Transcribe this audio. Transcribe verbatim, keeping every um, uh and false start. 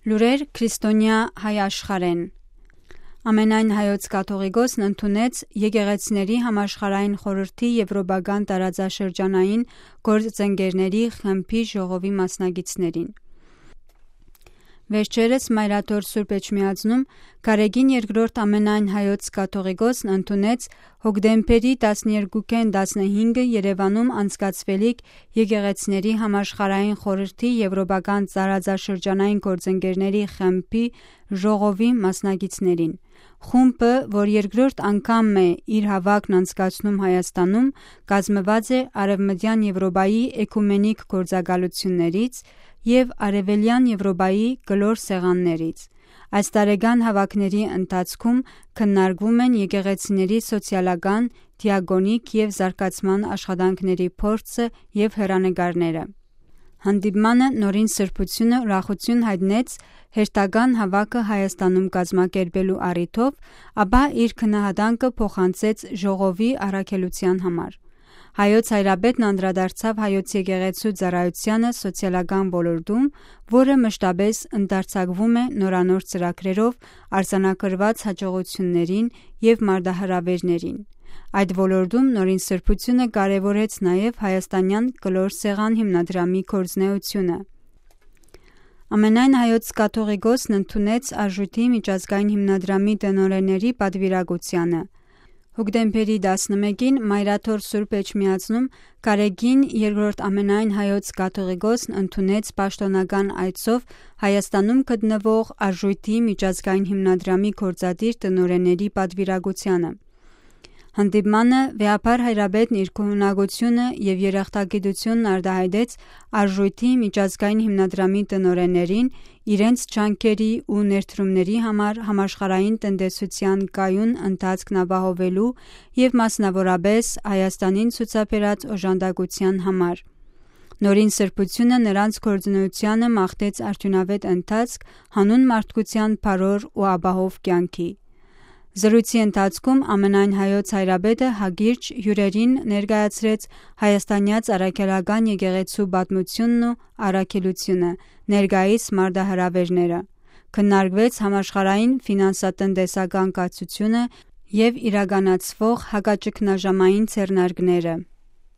Լուրեր Քրիստոնեայ հայ աշխարհէն։ Ամենայն հայոց կաթողիկոսն ընդունեց Եկեղեցիների համաշխարհային խորհրդի Եւրոպական տարածաշրջանային գործընկերների խմբի ժողովի մասնակիցներին։ Վերջերս Մայրաթոր Սուրբ Էջմիածնում Գարեգին երկրորդ ամենայն հայոց կաթողիկոսն ընդունեց հոկտեմբերի տասներկուքէն տասնհինգը Երեւանում անցկացուելիք Եկեղեցիների համաշխարհային խորհրդի Եվրոպական տարածաշրջանային գործընկերների խմբի ժողովի մասնակիցներին։ Խումբը, որ երկրորդ անգամ է իր հաւաքն անցկացնում Հայաստանում, կազմուած է Արեւմտեան Եվրոպայի էկումենիկ գործակալություններից եւ Արեւելեան Եվրոպայի կլոր սեղաններից։ Այս տարեկան հաւաքների ընթացքում քննարկվում են եկեղեցիների սոցիալական, դիակոնիկ եւ զարգացման աշխատանքների փորձը եւ հեռանկարները։ Հանդիպմանը Նորին Սրբութիւնը ուրախութիւն յայտնեց հերթական հաւաքը Հայաստանում կազմակերպելու առիթով, ապա իր գնահատանքը փոխանցեց ժողովի առաքելութեան համար։ Հայոց հայրապետն անդրադարձաւ հայոց եկեղեցու ծառայությանը սոցիալական ոլորտում, որը մշտապէս ընդարձակվում է նորանոր ծրագրերով, արձանագրուած հաջողություններին եւ մարտահրաւերներին։ Այդ ոլորտում Նորին Սրբութիւնը կարեւորեց նաեւ Հայաստանեան կլոր սեղան հիմնադրամի գործունեութիւնը։ Ամենայն հայոց կաթողիկոսն ընդունեց Արժույթի միջազգային հիմնադրամի տնօրէների պատուիրակությանը։ Հոկտեմբերի տասնմէկին Մայրաթոր Սուրբ Էջմիածնում Գարեգին երկրորդ ամենայն հայոց կաթողիկոսն ընդունեց պաշտօնական այցով Հայաստանում գտնուող Արժույթի միջազգային հիմնադրամի գործադիր տնօրէների պատուիրակությանը։ Հանդիպմանը վեհափառ հայրապետն իր գոհունակությունը եւ երախտագիտությունն արտահայտեց Արժույթի միջազգային հիմնադրամի տնօրէներին իրենց ջանքերի ու ներդրումների համար համաշխարհային տնտեսութեան կայուն ընթացքն ապահովելու եւ մասնաւորապէս Հայաստանին ցուցաբերած օժանդակութեան համար։ Նորին Սրբութիւնը նրանց գործունեությանը մաղթեց արդիւնաւէտ ընթացք, հանուն մարդկութեան բարօր ու ապահով կեանքի։ Զրույցի ընթացքում ամենայն հայոց հայրապետը հակիրճ հիւրերին ներկայացրեց Հայաստանեաց առաքելական եկեղեցու պատմութիւնն ու առաքելութիւնը, ներկայիս մարտահրաւերները։ Քննարկուեց համաշխարհային ֆինանսատնտեսական կացութիւնը եւ իրականացուող հակաճգնաժամային ձեռնարկները։